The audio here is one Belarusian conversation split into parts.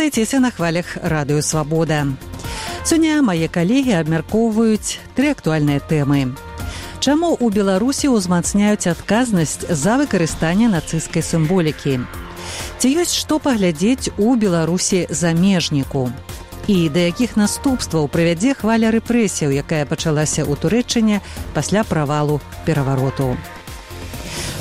Застайцеся на хвалях Радыё Свабода. Сёння мае калегі абмяркоўваюць 3 актуальныя тэмы. Чаму ў Беларусі ўзмацняюць адказнасць за выкарыстанне нацысцкай сімволікі? Ці ёсць што паглядзець у Беларусі замежніку? І да якіх наступстваў прывядзе хваля рэпрэсіяў, якая пачалася ў Турэччыне пасля правалу перавароту?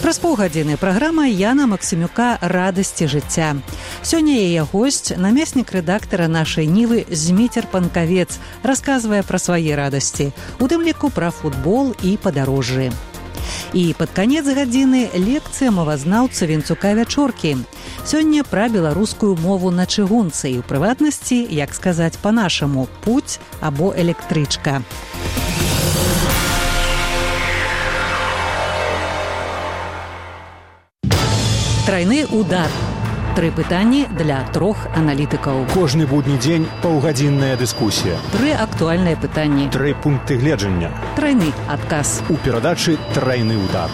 Праз паўгадзіны праграма Яна Максімюка «Радасці жыцця». Сёння яе госць, намеснік рэдактара нашай Нівы Зміцер Панкавец, расказвае пра свае радасці, у тым ліку пра футбол і падарожжы. І пад канец гадзіны лекцыя мовазнаўца Вінцука Вячоркі. Сёння пра беларускую мову на чыгунцы і, у прыватнасці, як сказаць па-нашаму, путь або электрычка. Трайны удар. 3 пытанні для 3 аналітыкаў. Кожны будні дзень паўгадзінная дыскусія. 3 актуальныя пытанні. 3 пункты гледжання. Трайны адказ. У перадачы «Трайны удар».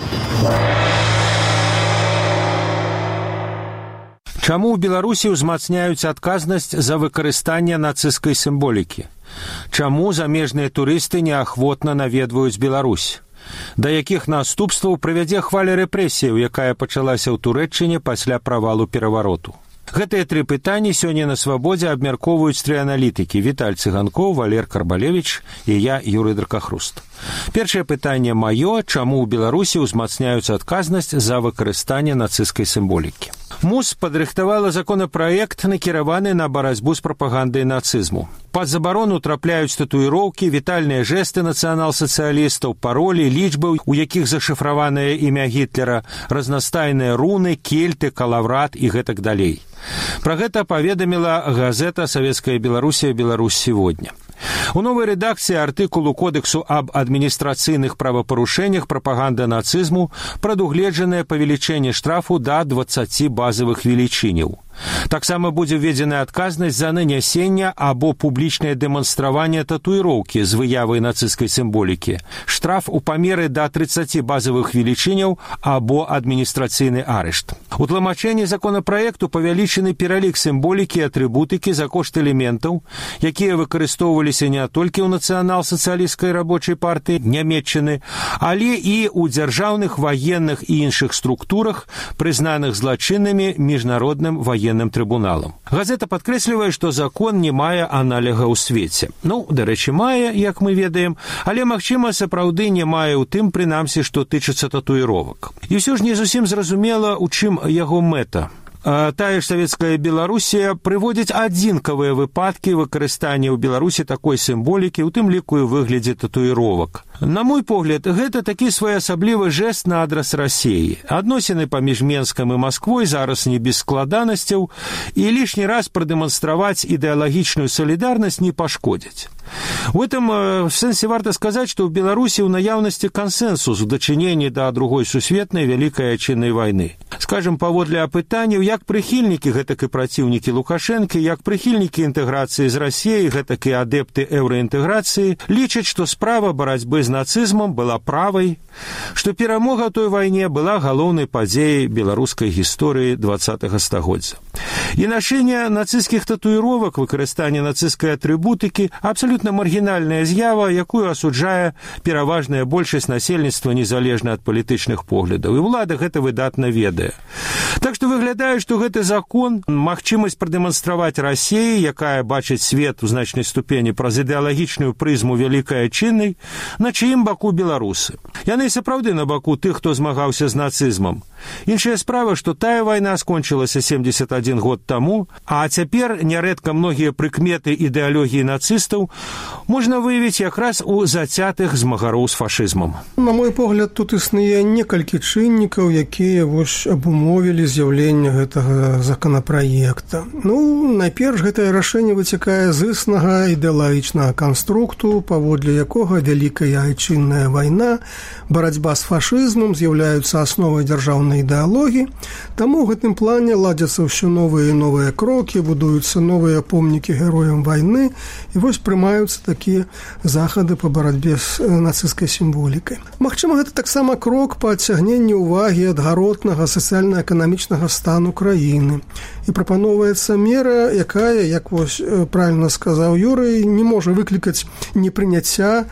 Чаму ў Беларусі ўзмацняюць адказнасць за выкарыстанне нацысцкай сімволікі? Чаму замежныя турысты неахвотна наведваюць Беларусь? Да якіх наступстваў прывядзе хваля рэпрэсіяў, якая пачалася ў Турэччыне пасля правалу перавароту? Гэтыя 3 пытанні сёння на Свабодзе абмяркоўваюць 3 аналітыкі: Віталь Цыганкоў, Валер Карбалевіч і я, Юрый Дракахруст. Першае пытанне маё: чаму ў Беларусі ўзмацняюць адказнасць за выкарыстанне нацысцкай сімволікі? МУС падрыхтавала законапраект, накіраваны на барацьбу з прапагандай нацызму. Пад забарону трапляюць татуіроўкі, вітальныя жэсты нацыянал-сацыялістаў, паролі, лічбы, у якіх зашыфраванае імя Гітлера, разнастайныя руны, кельты, калаврат і гэтак далей. Пра гэта паведаміла газета «Савецкая Беларусія. Беларусь сегодня». У новай рэдакцыі артыкулу Кодексу аб адміністрацыйных правапарушэннях прапаганда нацызму прадугледжанае павелічэнне штрафу да 20 базавых велічыняў. Таксама будзе введзена адказнасць за нанясенне або публічнае дэманстраванне татуіроўкі з выявай нацысцкай сімволікі, штраф у памеры да 30 базавых велічыняў або адміністрацыйны арышт. У тлумачэнні законапраекту павялічаны пералік сімволікі і атрыбутыкі за кошт элементаў, якія выкарыстоўваліся не толькі ў нацыянал-сацыялісцкай рабочай партыі Нямецчыны, але і ў дзяржаўных, ваенных і іншых структурах, прызнаных злачыннымі міжнародным ваенным трыбуналам. Газета падкрэслівае, што закон не мае аналага ў свеце. Дарэчы, мае, як мы ведаем, але, магчыма, сапраўды не мае ў тым, прынамсі, што тычыцца татуіровак. І ўсё ж не зусім зразумела, у чым яго мэта. Тая ж Савецкая Беларусія прыводзіць адзінкавыя выпадкі выкарыстання ў Беларусі такой сімволікі, у тым ліку і выглядзе татуіровак. На мой погляд, гэта такі своеасаблівы жэст на адрас Расіі. Адносіны паміж Менскам і Масквой зараз не без складанасцяў, і лішні раз прадэманстраваць ідэалагічную салідарнасць не пашкодзіць. У этом сэнсе варта сказаць, што ў Беларусі ў наяўнасці кансэнсус у дачыненні да Другой сусветнай вялікай айчыннай вайны. Скажам, паводле апытанняў, як прыхільнікі, гэтак і праціўнікі Лукашэнкі, як прыхільнікі інтэграцыі з Расіяй, гэтак і адэпты еўраінтэграцыі, лічаць, што справа барацьбы з нацызмам была правай, што перамога той вайне была галоўнай падзеяй беларускай гісторыі 20-го стагоддзя. І нашэнне нацысцкіх татуіровак, выкарыстанне нацысцкай атрыбутыкі абсалютна маргінальная з'ява, якую асуджае пераважная большасць насельніцтва незалежна ад палітычных поглядаў. І ўлада гэта выдатна ведае. Так што выглядае, што гэты закон, магчымасць прадэманстраваць Расіі, якая бачыць свет у значнай ступені праз ідэалагічную прызму вялікай айчыннай, на чыім баку беларусы. Яны сапраўды на баку тых, хто змагаўся з нацызмам. Іншая справа, што тая вайна скончылася 71 год таму, а цяпер нярэдка многія прыкметы ідэалогіі нацыстаў можна выявіць якраз у зацятых змагароў з фашызмам. На мой погляд, тут існуе некалькі чыннікаў, якія абумовілі з'яўленне гэтага законапраекта. Найперш, гэтае рашэнне выцякае з існага ідэалагічнага канструкту, паводле якога вялікая айчынная вайна, барацьба з фашызмам з'яўляюцца асновай дзяржаўнай ідэалогіі, таму ў гэтым плане ладзяцца ўсё усё новыя і новыя крокі, будуюцца новыя помнікі героям вайны, і вось прымаюцца такія захады па барацьбе з нацысцкай сімволікай. Магчыма, гэта таксама крок па адцягненні ўвагі ад гаротнага сацыяльна-эканамічнага стану краіны. І прапаноўваецца мера, якая, як вось правільна сказаў Юрый, не можа выклікаць непрыняцця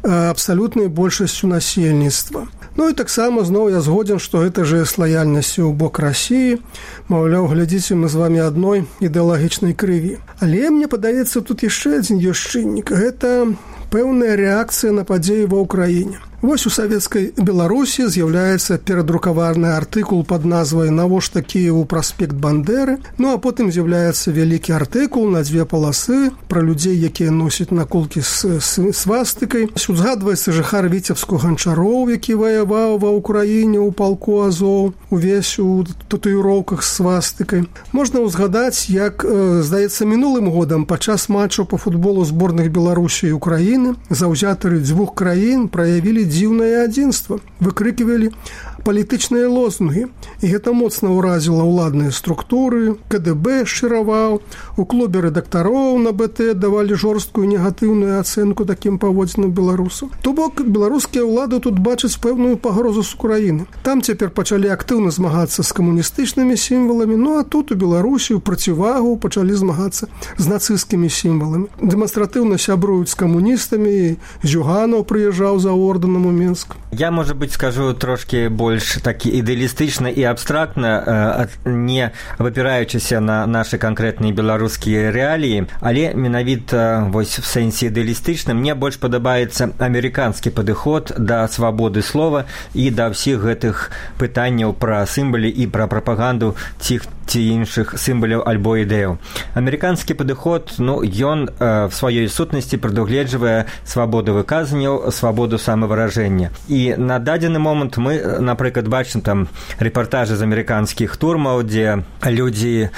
абсалютнай большасцю насельніцтва. Ну і таксама зноў я згодзін, што гэта же з лаяльнасцю ў бок Расіі. Маўляў, глядзіце, мы з вамі адной ідэалагічнай крыві. Але мне падаецца, тут яшчэ адзін ёсць чыннік. Гэта пэўная рэакцыя на падзеі ва ўкраіне. Вось у савецкай Беларусі з'яўляецца перадрукаваны артыкул пад назвай «Навошта Кіеву праспект Бандеры?». Ну а потым з'яўляецца вялікі артыкул на 2 паласы пра людзей, якія носяць наколкі з свастыкай. Узгадваецца жыхар Віцебску Ганчароў, які ваяваў ва ўкраіне ў палку Азоў, увесь у татуіроўках з свастыкай. Можна ўзгадаць, як, здаецца, мінулым годам падчас матчаў па футболу зборных Беларусі і Украіны заўзятары 2 краін праявілі дзіўнае адзінства, выкрыкивалі палітычныя лозунгі. І гэта моцна ўразіла ўладныя структуры, КДБ шчыраваў, у клубе рэдактароў на БТ давалі жорсткую негатыўную ацэнку такім паводзінам беларусаў. То бок, беларускія ўлады тут бачаць пэўную пагрозу з Украіны. Там цяпер пачалі актыўна змагацца з камуністычнымі сімваламі, ну а тут у Беларусі ў процівагу пачалі змагацца з нацысцкімі сімваламі. Дэманстратыўна сябруюць з камуністамі, Зюганаў прыязджаў за ордэнам у Мінск. Я, может быть, скажу трошки больш такі ідэалістычна і абстрактна, не выпіраючыся на нашы канкрэтныя беларускія рэаліі, але менавіта вось в сэнсе ідэалістычным мне больш падабаецца амерыканскі падыход да свабоды слова і да ўсіх гэтых пытанняў пра сімвалы і пра прапаганду ці іншых сімваляў альбо ідэяў. Амерыканскі падыход, ён в сваёй сутнасці прадугледжвае свабоду выказанняў, свабоду самавыражэння. І на дадзены момант мы, напрыклад, бачым там рэпартажы з амерыканскіх турмаў, дзе людзі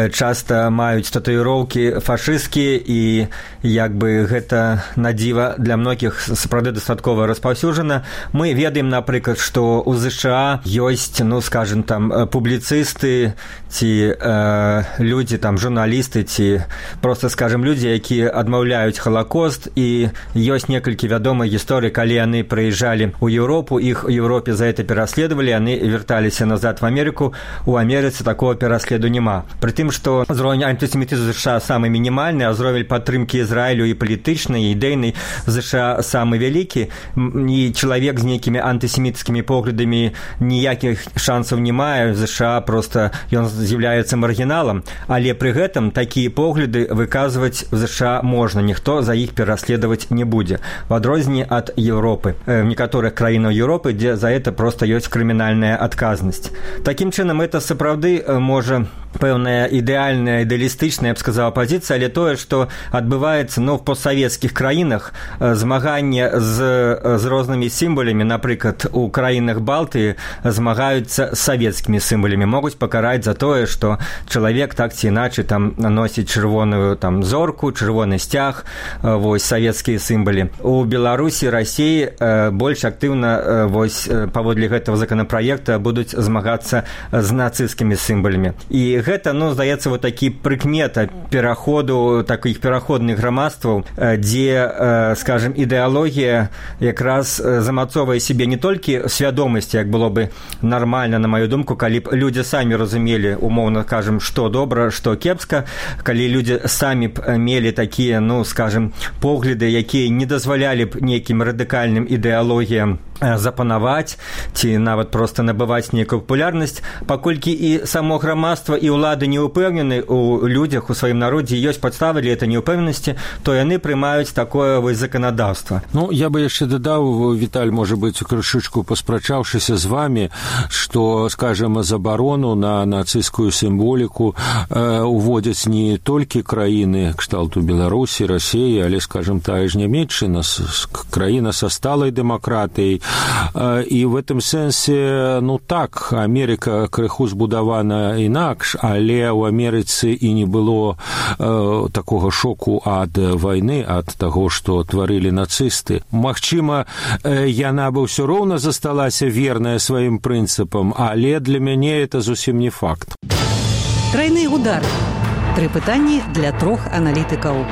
часта маюць татуіроўкі фашысцкія, і як бы гэта надзіва для многіх сапраўды дастаткова распаўсюджана. Мы ведаем, напрыклад, што ў ЗША ёсць, скажем, там публіцысты ці людзі, там журналісты, ці просто, скажем, людзі, якія адмаўляюць Халакост, і ёсць некалькі вядомых гісторый, калі яны прыязджалі ў Еўропу, іх у Еўропе за это пераследавалі, яны вярталіся назад в Амерыку, у Амерыцы такого пераследу няма. Пры тым, што ўзровень антысемітызму ЗША самы мінімальны, а ўзровень падтрымкі Ізраілю і палітычнай, і ідэйнай ЗША самы вялікі, і чалавек з нейкімі антысеміцкімі поглядамі ніякіх шансаў не мае, ЗША просто ён з'яўляецца маргіналам, але пры гэтым такія погляды выказваць в ЗША можна, ніхто за іх пераследаваць не будзе, в адрозненні ад Еўропы, в некаторых краінах Еўропы, дзе за это просто ёсць крымінальная адказнасць. Такім чынам, это сапраўды можа пэўная ідэальная, ідэалістычная, я б сказала, пазіцыя, але тое, што адбываецца в постсавецкіх краінах, змаганне з рознымі сімвалямі, напрыклад, у краінах Балтыі змагаюцца з савецкімі сімвалямі, могуць пакараць за тое, што чалавек так ці іначай там носіць чырвоную там зорку, чырвоны сцяг, вось савецкія сімвалы. У Беларусі, Расіі больш актыўна вось паводле гэтага законапраекта будуць змагацца з нацысцкімі сімвалямі. І гэта, здаецца, вот такі прыкмета пераходу такіх пераходных грамадстваў, дзе, скажем, ідэалогія якраз замацоўвае сябе не толькі свядомасць, як было бы нармальна, на маю думку, калі б людзі самі разумелі, умоўна кажам, што добра, што кепска, калі людзі самі б мелі такія, скажем, погляды, якія не дазвалялі б нейкім радыкальным ідэалогіям запанаваць ці нават проста набываць нейкую папулярнасць, паколькі і само грамадства і ўлады не ўпэўнены у людзях, у сваім народзе, ёсць падставы для этой неўпэўненасці, то яны прымаюць такое вось заканадаўства. Я бы яшчэ дадаў, Віталь, можа быць, крышачку паспрачаўшыся з вами, што, скажем, забарону на нацысцкую сімволіку уводзяць не толькі краіны кшталту Беларусі, Расіі, але, скажем, тая ж Нямецчына, краіна са сталай дэмакратыяй. І в этом сэнсе, так, Амерыка крыху збудавана інакш, але ў Амерыцы і не было такога шоку ад вайны, ад таго, што тварылі нацысты. Магчыма, яна бы ўсё роўна засталася верная сваім прынцыпам, але для мяне это зусім не факт. Трайны удар. 3 пытанні для 3 аналітыкаў.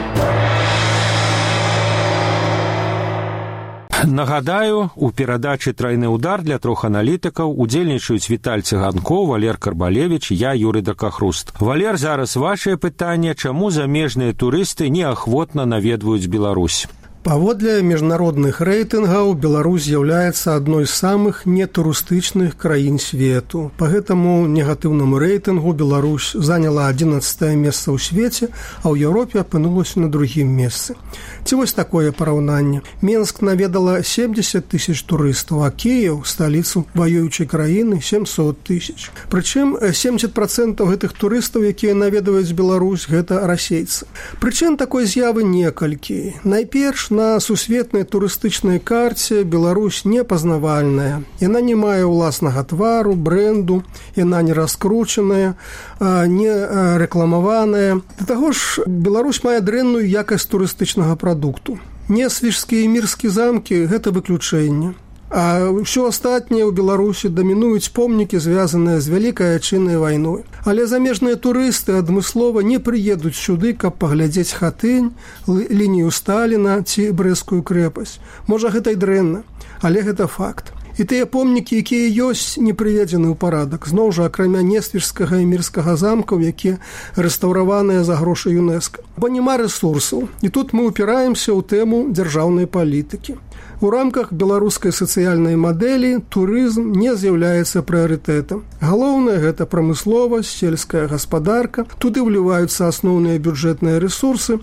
Нагадаю, у перадачы «Трайны удар» для 3 аналітыкаў удзельнічаюць Віталь Цыганкоў, Валер Карбалевіч, я, Юрый Дакахруст. Валер, зараз вашае пытанне, чаму замежныя турысты неахвотна наведваюць Беларусь? Паводле міжнародных рэйтынгаў Беларусь з'яўляецца адной з самых нетурыстычных краін свету. Па гэтаму негатыўнаму рэйтынгу Беларусь заняла 11е месца ў свеце, а ў Еўропе апынулася на 2-м месцы. Ці вось такое параўнанне. Менск наведала 70 000 турыстаў, а Кіеў, сталіцу ваюючай краіны, 700 000. Прычым 70% гэтых турыстаў, якія наведваюць Беларусь, гэта расейцы. Прычын такой з'явы некалькі. Найперш, на сусветнай турыстычнай карце Беларусь непазнавальная. Яна не мае ўласнага твару, брэнду, яна не раскручаная, не рэкламаваная. Да таго ж, Беларусь мае дрэнную якасць турыстычнага прадукту. Несвіжскія і мірскія замкі – гэта выключэнне. А ўсё астатняе ў Беларусі дамінуюць помнікі, звязаныя з Вялікай Айчыннай вайной. Але замежныя турысты адмыслова не прыедуць сюды, каб паглядзець Хатынь, лінію Сталіна ці Брэсцкую крэпасць. Можа, гэта і дрэнна, але гэта факт. І тыя помнікі, якія ёсць, не прыведзены ў парадак. Зноў жа, акрамя Несвіжскага і мірскага замкаў, якія рэстаўраваныя за грошы ЮНЕСКО. Бо няма рэсурсаў. І тут мы ўпіраемся ў тэму дзяржаўнай палітыкі. У рамках беларускай сацыяльнай мадэлі турызм не з'яўляецца прыярытэтам. Галоўнае – гэта прамысловасць, сельская гаспадарка. Туды ўліваюцца асноўныя бюджэтныя рэсурсы.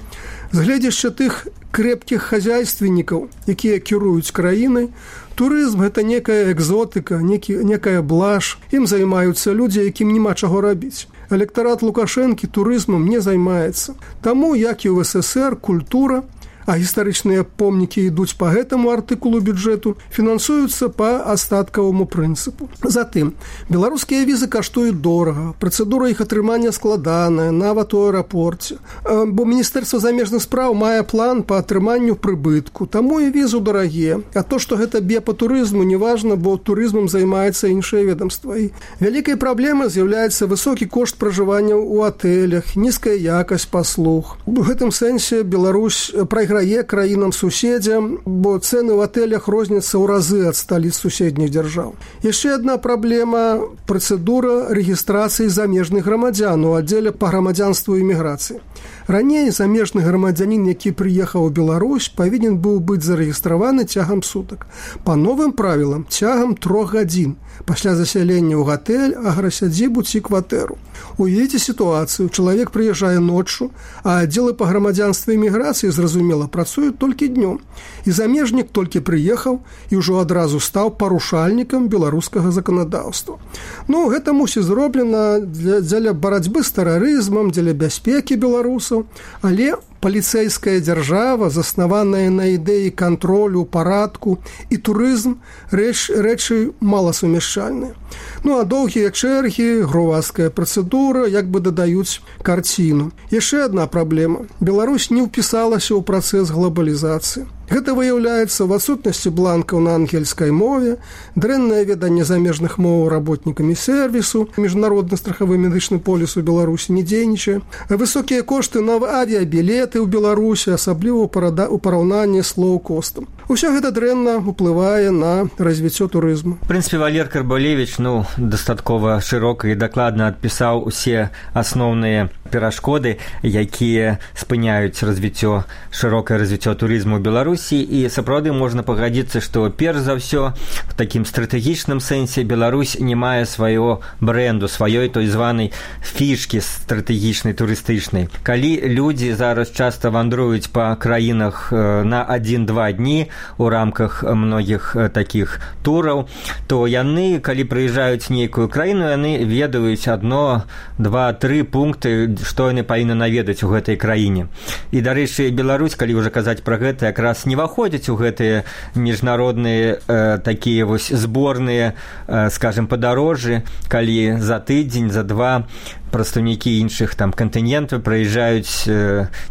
З гледзяча тых крэпкіх хазяйственнікаў, якія кіруюць краінай, турызм – гэта некая экзотыка, некая блажь. Ім займаюцца людзі, якім няма чаго рабіць. Электарат Лукашэнкі турызмам не займаецца. Таму, як і ў СССР, культура, а гістарычныя помнікі ідуць па гэтаму артыкулу бюджэту, фінансуюцца па астаткаваму прынцыпу. Затым, беларускія візы каштуюць дорага, працэдура іх атрымання складаная, нават у аэрапорце. Бо Міністэрства замежных спраў мае план па атрыманню прыбытку, таму і візу дарагія. А то, што гэта б'е па турызму, не важна, бо турызмам займаецца іншае ведомства. І вялікай праблемай з'яўляецца высокі кошт пражывання ў атэлях, нізкая якасць паслуг. У гэтым сэнсе Беларусь прайграе краінам-суседзям, бо цэны ў атэлях розняцца ў разы ад сталіц суседніх дзяржаў. Яшчэ адна праблема – працэдура рэгістрацыі замежных грамадзян у аддзеле па грамадзянству і міграцыі. Раней замежны грамадзянін, які прыехаў у Беларусь, павінен быў быць зарэгістраваны цягам сутак. Па новым правілам цягам 3 гадзін пасля засялення ў гатэль, аграсядзібу ці кватэру. Уявіце сітуацыю. Чалавек прыязджае ноччу, а аддзелы па грамадзянстве і міграцыі, зразумела, працуюць толькі днём. І замежнік толькі прыехаў і ўжо адразу стаў парушальнікам беларускага заканадаўства. Гэта мусіць зроблена дзеля барацьбы з тэрарызмам, дзеля бяспекі беларусаў, але паліцэйская дзяржава, заснаваная на ідэі кантролю, парадку і турызм рэчы маласумяшчальныя. А доўгія чэргі, гроваская працэдура як бы дадаюць карціну. Яшчэ адна праблема. Беларусь не ўпісалася ў працэс глобалізацыі. Гэта выяўляецца в адсутнасці бланкаў на ангельскай мове, дрэннае веданне замежных моў работнікамі сервісу, міжнародны страхавы медычны поліс у Беларусі не дзейнічае, высокія кошты на авіябілеты ў Беларусі, асабліва ў параўнанні з лоў-костам. Усё гэта дрэнна ўплывае на развіццё турызму. В прынцыпе, Валер Карбалевіч дастаткова шырока і дакладна адпісаў усе асноўныя перашкоды, якія спыняюць шырокае развіццё турызму ў Беларусі. І сапраўды можна пагадзіцца, што перш за ўсё в такім стратэгічным сэнсе Беларусь не мае свайго брэнду, сваёй той званай фішкі стратэгічнай турыстычнай. Калі людзі зараз часта вандруюць па краінах на 1-2 дні у рамках многіх такіх тураў, то яны, калі прыязджаюць нейкую краіну, яны ведаюць 1, 2, 3 пункты, што яны павінны наведаць у гэтай краіне. І, дарэчы, Беларусь, калі ўжо казаць пра гэта, якраз не выходзяць у гэтыя міжнародныя такія вось зборныя, скажем, падарожжы, калі за тыдзень, за 2 прадстаўнікі іншых там кантынентаў прыязджаюць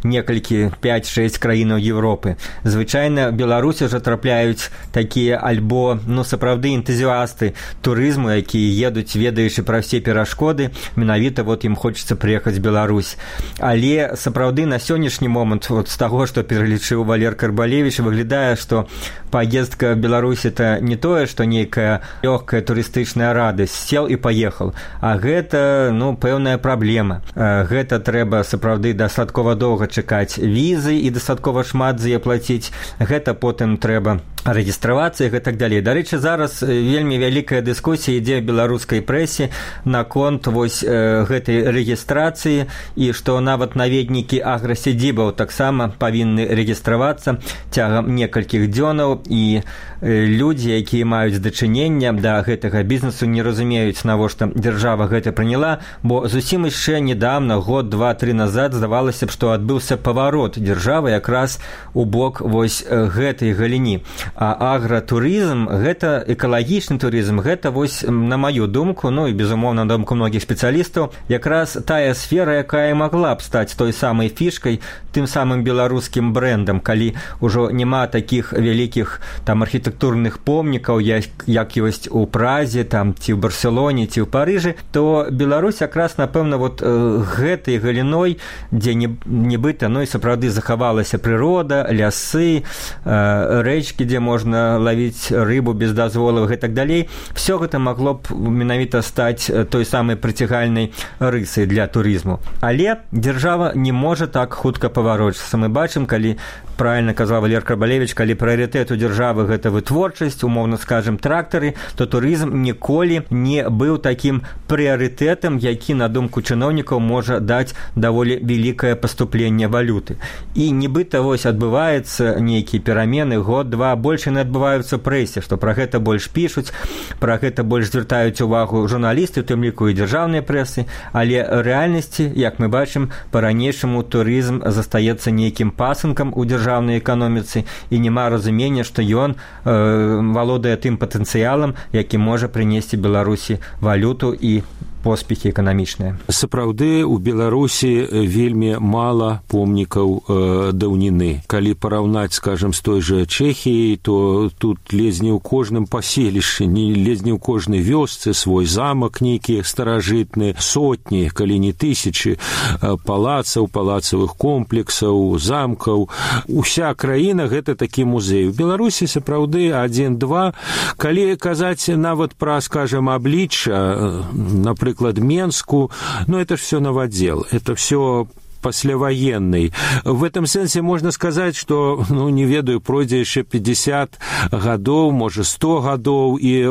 некалькі 5-6 краінаў Европы. Звычайна Беларусі ўжо трапляюць такія альбо сапраўды энтузіасты турызму, якія едуць, ведаючы пра ўсе перашкоды, менавіта ім хочацца прыехаць в Беларусь. Але сапраўды на сённяшні момант з таго, што пералічыў Валер Карбалевіч, выглядае, што паездка в Беларусь это не тое, што нейкая лёгкая турыстычная радасць, сел і паехаў, а гэта пэўная праблема. Гэта трэба сапраўды дастаткова доўга чакаць візы і дастаткова шмат за яе плаціць. Гэта потым трэба рэгістравацца і гэтак далей. Дарэчы, зараз вельмі вялікая дыскусія ідзе ў беларускай прэсе наконт гэтай рэгістрацыі, і што нават наведнікі аграсядзібаў таксама павінны рэгістравацца цягам некалькіх дзёнаў, і людзі, якія маюць дачынення да гэтага бізнесу, не разумеюць, навошта дзяржава гэта прыняла, бо зусім яшчэ недавно, год, 2-3 назад, здавалася б, што адбыўся паварот дзяржавы якраз у бок гэтай галіні. А агратурызм, гэта экалагічны турызм, гэта на маю думку, і безумоўна на думку многіх спецыялістаў, якраз тая сфера, якая магла б стаць той самай фішкай, тым самым беларускім брэндам, калі ўжо няма такіх вялікіх там архітэктурных помнікаў, як ёсць у Празе, там, ці ў Барселоне, ці ў Парыжы, то Беларусь якраз, напэўна, гэтай галіной, дзе нібыта, і сапраўды захавалася прырода, лясы, рэчкі, дзе можна лавіць рыбу без дазволаў і гэтак далей, все гэта магло б менавіта стаць той самай прыцягальнай рысай для турызму. Але дзяржава не можа так хутка паварочацца. Мы бачым, калі, правильно казаў Валер Карбалевіч, калі прыярытэт у дзяржавы гэта вытворчасць, умоўна скажем, трактары, то турызм ніколі не быў такім прыярытэтам, які, на думку чыноўнікаў, можа даць даволі вялікае паступленне валюты. І нібыта адбываецца нейкія перамены, год-два, больш яны адбываюцца ў прэсе, што пра гэта больш пішуць, пра гэта больш звяртаюць увагу журналісты, у тым ліку і дзяржаўныя прэсы, але рэальнасці, як мы бачым, па-ранейшаму турызм застаецца нейкім пасынкам у дзяржаўнай эканоміцы, і няма разумення, што ён валодае тым патэнцыялам, які можа прынесці Беларусі валюту і поспехі эканамічныя. Сапраўды, у Беларусі вельмі мала помнікаў даўніны. Калі параўнаць, скажем, з той жа Чэхіяй, то тут ледзь не ў кожным паселішчы, ледзь не ў кожнай вёсцы свой замак нейкі старажытны, сотні, калі не тысячы палацаў, палацавых комплексаў, замкаў. Уся краіна гэта такі музей. У Беларусі сапраўды 1-2. Калі казаць нават пра, скажем, аблічча, напрыклад, Менску, это ж все новодел, это все послевоенный. В этом сенсе можно сказать, что, не ведаю, пройдзе яшчэ 50 гадоў, можа 100 гадоў, і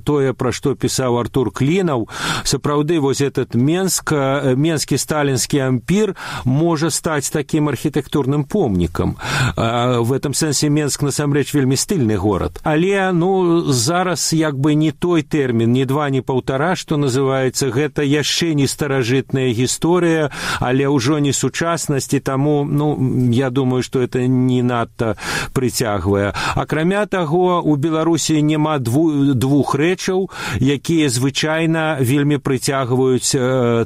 тое, пра што пісаў Артур Клінаў, сапраўды этот менскі сталінскі ампір можа стаць такім архітэктурным помнікам. В этом сенсе Менск, насамрэч, вельмі стыльны горад. Але, зараз як бы не той тэрмін, не 2, не 1,5, што называецца, гэта яшчэ не старажытная гісторыя, але ўжо не сучаснасці, таму, я думаю, што это не надта прыцягвае. Акрамя таго, у Беларусі няма двух рэчаў, якія звычайна вельмі прыцягваюць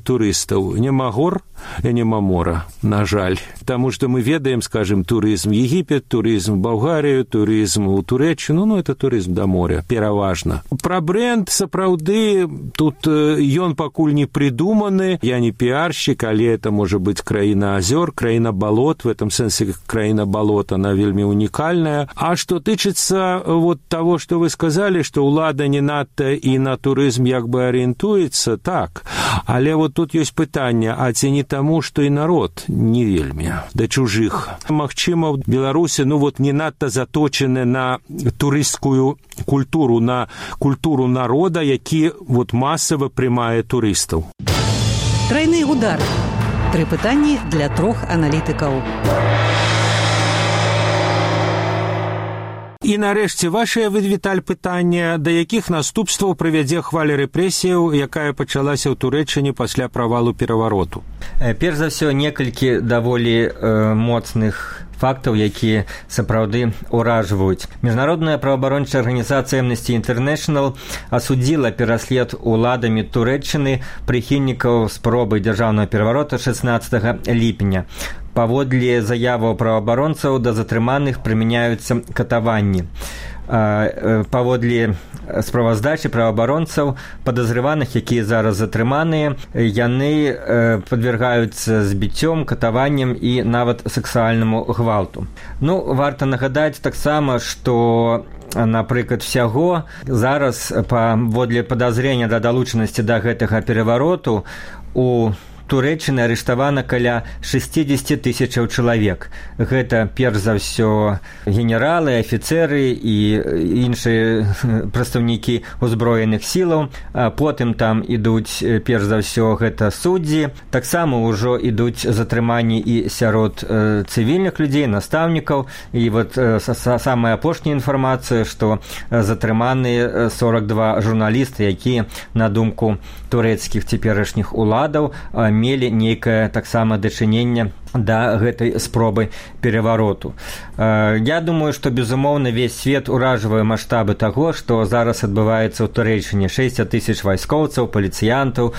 турыстаў. Няма гор і няма мора, на жаль. Таму што мы ведаем, скажем, турызм Егіпет, турызм Балгарію, турызм у Турэччыну, это турызм да моря, пераважна. Пра брэнд, сапраўды, тут ён пакуль не прыдуманы, я не піаршчык, але это может быть краіна азёр, краіна балот, в этом сенсе краіна балот, она вельмі уникальная. А что тычыцца того, что вы сказали, что ўлада не надта і на турызм як бы арыентуецца, так. Але тут ёсць пытанне, а ці не таму, што і народ не вельмі да чужых. Магчыма, в Беларусі, не надта заточены на турысцкую культуру, на культуру народа, які масава прымае турыстаў. Тройны удар. 3 пытанні для 3 аналітыкаў. І нарэшце, вашае, Віталь, пытанне, да якіх наступстваў прывядзе хваля рэпрэсіяў, якая пачалася ў Турэччыне пасля правалу перавароту? Перш за ўсё, некалькі даволі моцных фактаў, якія сапраўды ўражваюць. Міжнародная праваабарончая арганізацыя Amnesty International асудзіла пераслед уладамі Турэччыны прыхільнікаў спробы дзяржаўнага пераварота 16 ліпеня. Паводле заяваў праваабаронцаў да затрыманых прымяняюцца катаванні. Паводле справаздачы праваабаронцаў падазрываных, якія зараз затрыманыя, яны падвяргаюцца збіццём, катаванням і нават сексуальнаму гвалту. Варта нагадаць таксама, што напрыклад, всяго зараз паводле падазрення да далучанасці да гэтага перавароту у Турэччыны арыштавана каля 60 тысячаў чалавек. Гэта, перш за ўсё, генералы, афіцэры і іншыя прадстаўнікі ўзброеных сілаў. Потым там ідуць, перш за ўсё, гэта суддзі. Таксама ўжо ідуць затрыманні і сярод цывільных людзей, настаўнікаў. І самая апошняя інфармацыя, што затрыманы 42 журналісты, якія, на думку турэцкіх цяперашніх уладаў, мелі нейкае таксама дачыненне да гэтай спробы перавароту. Я думаю, што, безумоўна, весь свет уражвае маштабы таго, што зараз адбываецца ў Турэччыне. 60 тысяч вайскоўцаў, паліцыянтаў,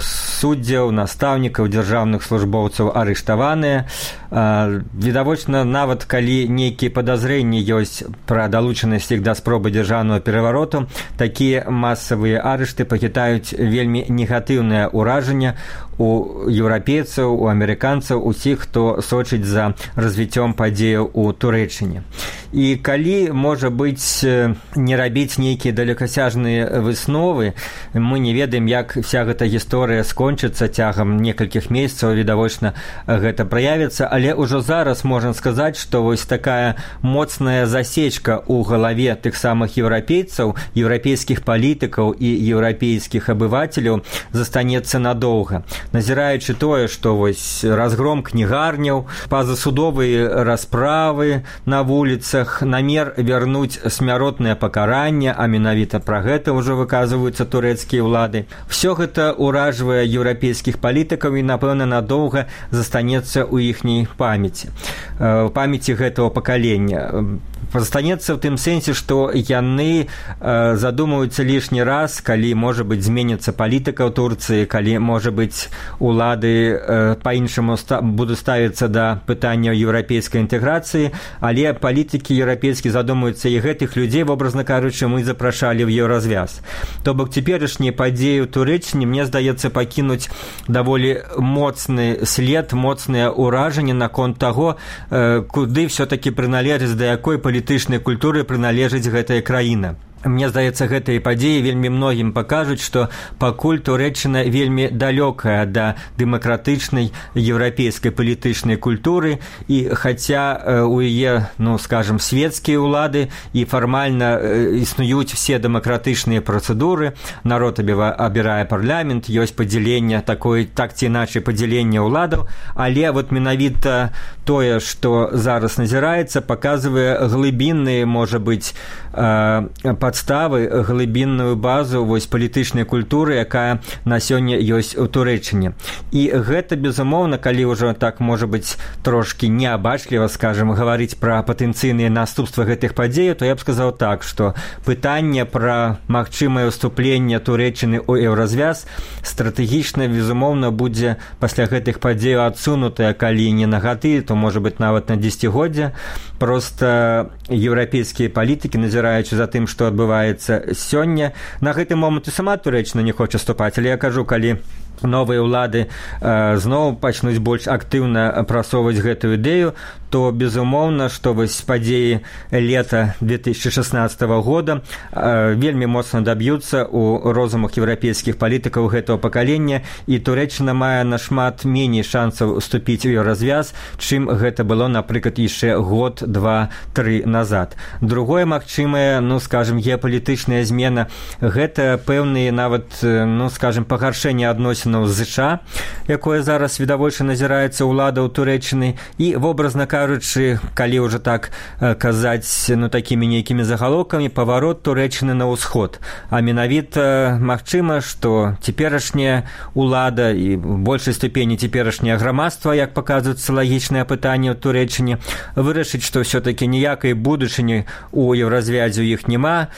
суддзяў, настаўнікаў, дзяржаўных службоўцаў арыштаваныя. Відавочна, нават калі нейкія падазрэнні ёсць пра далучанасць іх да спробы дзяржаўнага перавароту, такія масавыя арышты пакідаюць вельмі негатыўнае ўражанне у еўрапейцаў, у амерыканцаў, усіх, хто сочыць за развіццём падзеяў у Турэччыне. І калі, можа быць, не рабіць нейкія далекасяжныя высновы, мы не ведаем, як вся гэта гісторыя скончыцца цягам некалькіх месяцаў, відавочна, гэта праявіцца, але ўжо зараз можна сказаць, што вось такая моцная засечка ў галаве тых самых еўрапейцаў, еўрапейскіх палітыкаў і еўрапейскіх абывацеляў застанецца надоўга. Назіраючы тое, што вось разгром кнігарняў, пазасудовыя расправы на вуліцах, намер вярнуць смяротнае пакаранне, а менавіта пра гэта ўжо выказваюцца турэцкія ўлады. Всё гэта ўражвае еўрапейскіх палітыкаў і, напэўна, надоўга застанецца ў іхняй памяці. Памяці гэтага пакалення. Застанецца ў тым сэнсе, што яны задумаюцца лішні раз, калі, можа быць, зменіцца палітыка ў Турцыі, калі, можа быць, улады па-іншаму будуць ставіцца да пытання еўрапейскай інтэграцыі, але палітыкі еўрапейскія задумаюцца, і гэтых людзей, вобразна кажучы, мы запрашалі ў еўразвяз. То бок цяперашнія падзеі ў Турэччыне, мне здаецца, пакінуць даволі моцны след, моцнае ўражанне наконт таго, куды ўсё-такі прыналежыць, да якой палітычнай культуры прыналежыць гэтая краіна. Мне здаецца, гэтыя падзеі вельмі многім пакажуць, што пакуль Турэччына вельмі далёкая да дэмакратычнай еўрапейскай палітычнай культуры, і хаця у яе, скажам, светскія ўлады і фармальна існуюць все дэмакратычныя працэдуры, народ абірае парламент, ёсць падзяленне такое, так ці іначай падзяленне ўладаў, але вот менавіта тое, што зараз назіраецца, паказвае глыбінныя, можа быць, падставы, глыбінную базу вось палітычнай культуры, якая на сёння ёсць у Турэччыне. І гэта, безумоўна, калі ўжо так, можа быць, трошкі неабачліва, скажам, гаварыць пра патэнцыйныя наступствы гэтых падзеяў, то я б сказаў так, што пытанне пра магчымае ўступленне Турэччыны ў еўразвяз стратэгічна, безумоўна, будзе пасля гэтых падзеяў адсунутае, калі не на гады, то, можа быць, нават на дзесяцігоддзя. Проста еўрапейскія палітыкі, назіраючы за тым, што адбываецца сёння, на гэты момант і сама Турэччына не хоча ступаць, але я кажу, калі новыя ўлады зноў пачнуць больш актыўна прасоўваць гэтую ідэю, то, безумоўна, што вось падзеі лета 2016 года вельмі моцна даб'юцца ў розумах еўрапейскіх палітыкаў гэтага пакалення, і Турэччына мае нашмат меней шансаў уступіць у еўразвяз, чым гэта было, напрыклад, яшчэ год, два, тры назад. Другое магчымае, скажем, геапалітычная змена, гэта пэўныя нават, ну, скажем, пагаршэнне адносінаў з ЗША, якое зараз відавочна назіраецца ўлада ў Турэччыны, і, вобразна кажучы, калі ўжо так казаць, ну, такімі нейкімі загалоўкамі, паварот Турэччыны на ўсход. А менавіта магчыма, што цяперашняя ўлада і в большай ступені цяперашняе грамадства, як паказваюць сацыялагічныя пытанні ў Турэччыне, вырашыць, што ўсё-такі ніякай будучыні ў еўразвязе ў іх няма.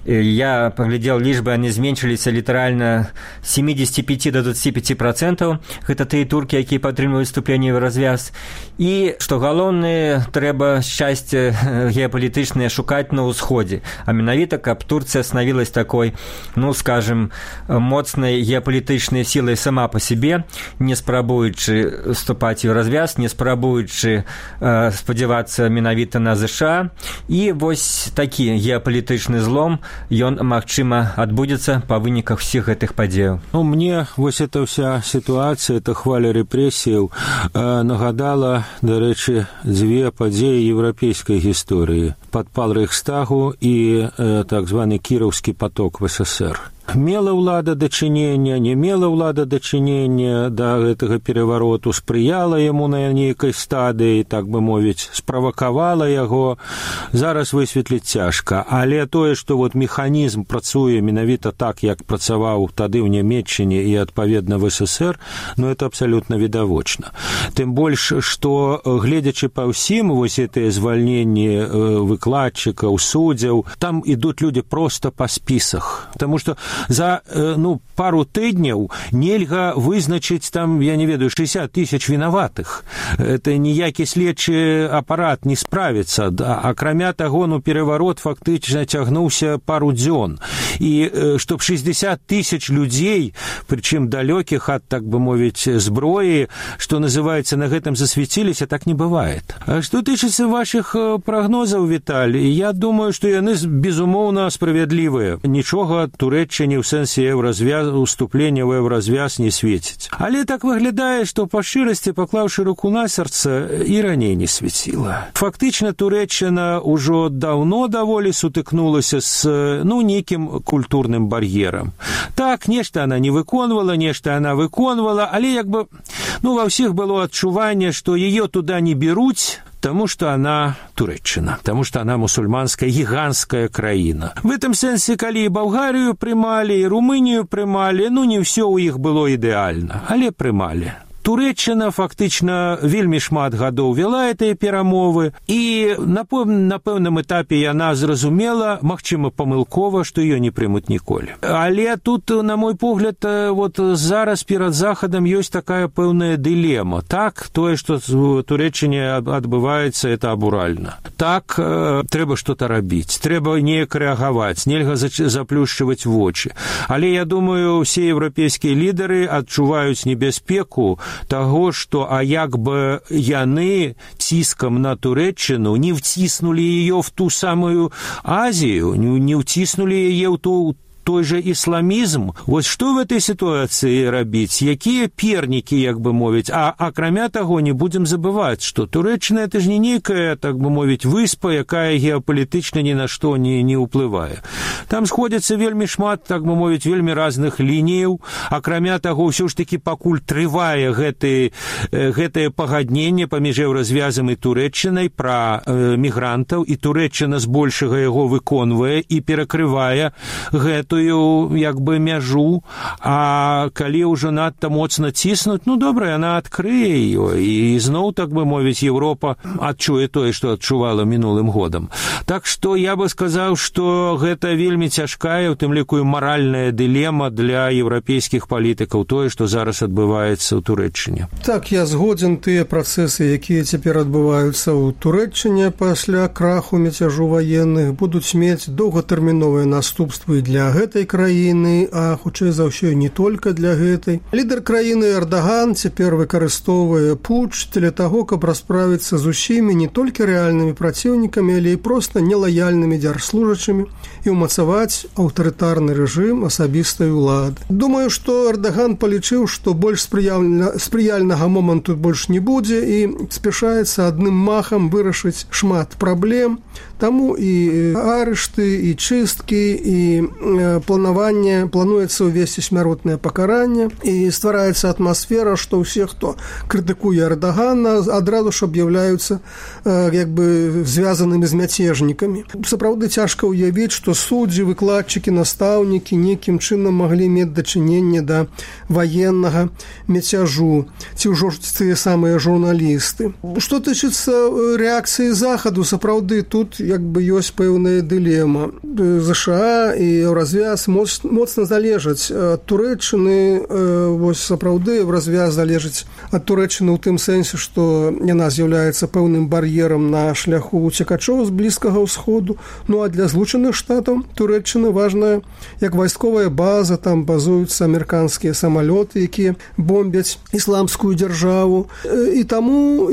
Я паглядзеў лічбы, яны зменшыліся літаральна 75 до 25%. Гэта тыя туркі, якія падтрымліваюць вступленне ў еўразвяз. І, што галоўнае, трэба шчасце геапалітычнае шукаць на ўсходзе. А менавіта, каб Турцыя станавілась такой, ну, скажем, моцнай геапалітычнай сілай сама па сябе, не спрабуючы вступаць у еўразвяз, не спрабуючы спадзявацца менавіта на ЗША. І вось такі геапалітычны злом, ён, магчыма, адбудзецца па выніках усіх гэтых падзеяў. Ну, мне вось эта вся сітуацыя, эта хваля рэпрэсіяў нагадала, дарэчы, дзве падзеі еўрапейскай гісторыі: падпал Рэйхстагу і так званы кіраўскі поток в СССР. Мела ўлада дачынення, не мела ўлада дачынення да гэтага перавароту, спрыяла яму на нейкай стадыі, так бы мовіць, справакавала яго, зараз высветліць цяжка. Але тое, што вот механізм працуе менавіта так, як працаваў тады ў Нямецчыне і, адпаведна, в СССР, ну, это абсалютна відавочна. Тым больш, што, гледзячы па ўсім, вось гэтыя звальненні выкладчыкаў, суддзяў, там ідуць людзі проста па спісах. Таму што за, ну, пару тыдняў нельга вызначыць там, я не ведаю, 60 тысяч вінаватых. Это ніякі следчы апарат не справіцца. Акрамя таго, ну, пераварот фактычна цягнуўся пару дзён. І чтоб 60 тысяч людзей, прычым далёкіх ад, так бы мовіць, зброі, што называецца, на гэтым засвяціліся, так не бывает. А што тычыцца вашых прагнозаў, Віталій, я думаю, што яны, безумоўна, справядлівыя. Нічога Турэччыне ў сэнсе уступлення ў еўразвяз не свеціць. Але так выглядае, што па шчырасці, паклаўшы руку на сэрца, і раней не свяціла. Фактычна Турэччына ўжо даўно даволі сутыкнулася з, ну, нейкім культурным бар'ерам. Так, нешта она не выконвала, нешта она выконвала, але як бы, ну, ва ўсіх было адчуванне, што яе туда не беруць, потому что она Турэччына, потому что она мусульманская гигантская краіна. В этом сэнсе, калі і Балгарію прымалі, і Румынію прымалі, ну, не ўсё ў іх было ідэальна, але прымалі. Турэччына фактычна вельмі шмат гадоў вела гэтыя перамовы, і на пэўным этапе яна зразумела, магчыма, памылкова, што ёй не прымуць ніколі. Але тут, на мой погляд, вот зараз перад Захадам ёсць такая пэўная дылема. Так, тое, што в Турэччыне адбываецца, это абуральна. Так, трэба што-то рабіць, трэба неяк рэагаваць, нельга заплюшчваць вочы. Але я думаю, усе еўрапейскія лідары адчуваюць небяспеку таго, што, а як бы яны ціскам на Турэччыну не вціснулі яе в ту самую Азію, не вціснулі яе ў той же ісламізм. Вось што в этой сітуацыі рабіць? Якія пернікі, як бы мовіць? А акрамя таго, не будзем забываць, што Турэччына — это ж не нейкая, так бы мовіць, выспа, якая геапалітычна ні на што не ўплывае. Там сходзяцца вельмі шмат, так бы мовіць, вельмі разных лініяў. Акрамя таго, ўсё ж такі пакуль трывае гэтае пагадненне паміж еўразвязам і Турэччынай пра мігрантаў, і Турэччына збольшага яго выконвае і перакрывае гэтую, як бы, мяжу, а калі ўжо надта моцна ціснуць, ну, добра, яна адкрые ее, і зноў, так бы мовіць, Еўропа адчуе тое, што адчувала мінулым годам. Так што я бы сказаў, што гэта вельмі цяжкая, у тым ліку і маральная дылема для еўрапейскіх палітыкаў, тое, што зараз адбываецца ў Турэччыне. Так, я згодзін, тыя працэсы, якія цяпер адбываюцца ў Турэччыне пасля краху мяцяжу ваенных, будуць мець доўгатэрміновыя наступствы для гэтых гэтай краіны, а хутчэй за ўсё не толькі для гэтай. Лідар краіны Эрдаган цяпер выкарыстоўвае путч для таго, каб расправіцца з усімі не толькі рэальнымі праціўнікамі, але і проста нелаяльнымі дзяржслужачымі і ўмацаваць аўтарытарны рэжым асабістай улады. Думаю, што Эрдаган палічыў, што больш спрыяльнага моманту больш не будзе і спяшаецца адным махам вырашыць шмат праблем. Таму і арышты, і чысткі, і плануецца ўвесці смяротнае пакаранне, і ствараецца атмасфера, што ўсе, хто крытыкуе Эрдагана, адразу ж аб'яўляюцца звязанымі з мяцежнікамі. Сапраўды цяжка ўявіць, што суддзі, выкладчыкі, настаўнікі нейкім чынам маглі мець дачыненне да ваеннага мяцяжу, ці ўжо тыя самыя журналісты. Што тычыцца рэакцыі захаду, сапраўды тут ёсць пэўная дылема. ЗША і Еўразвяз моцна залежаць ад Турэччыны. Сапраўды Еўразвяз залежыць ад Турэччыны ў тым сэнсе, што яна з'яўляецца пэўным бар'ерам на шляху уцекачоў з Блізкага ўсходу. Ну а для Злучаных Штатаў Турэччына важная як вайсковая база, там базуюцца амерыканскія самалёты, якія бомбяць ісламскую дзяржаву. І таму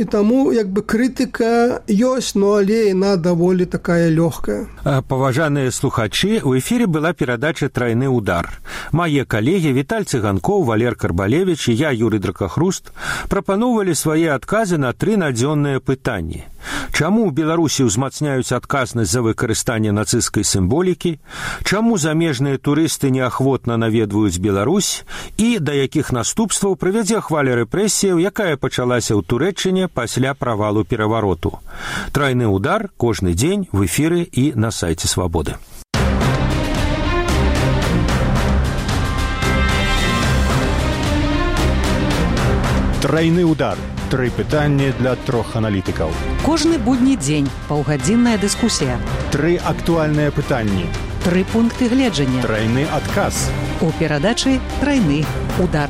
крытыка ёсць, но але яна даволі такая лёгкая. Паважаныя слухачы, у эфире была перадача «Тройны удар». Мае калегі Віталь Цыганкоў, Валер Карбалевич і я, Юрый Дракахруст, прапаноўвалі свае адказы на 3 надзённыя пытанні. Чаму ў Беларусі ўзмацняюць адказнасць за выкарыстанне нацысцкай сімволікі? Чаму замежныя турысты неахвотна наведваюць Беларусь? І да якіх наступстваў прывядзе хваля рэпрэсіяў, якая пачалася ў Турэччыне пасля правалу перавароту? «Тройны удар» кожны дзень в эфіры і на сайце Свабоды. Тройны удар. 3 пытанні для 3 аналітыкаў. Кожны будні дзень паўгадзінная дыскусія. 3 актуальныя пытанні. 3 пункты гледжання. Тройны адказ. У перадачы «Тройны удар».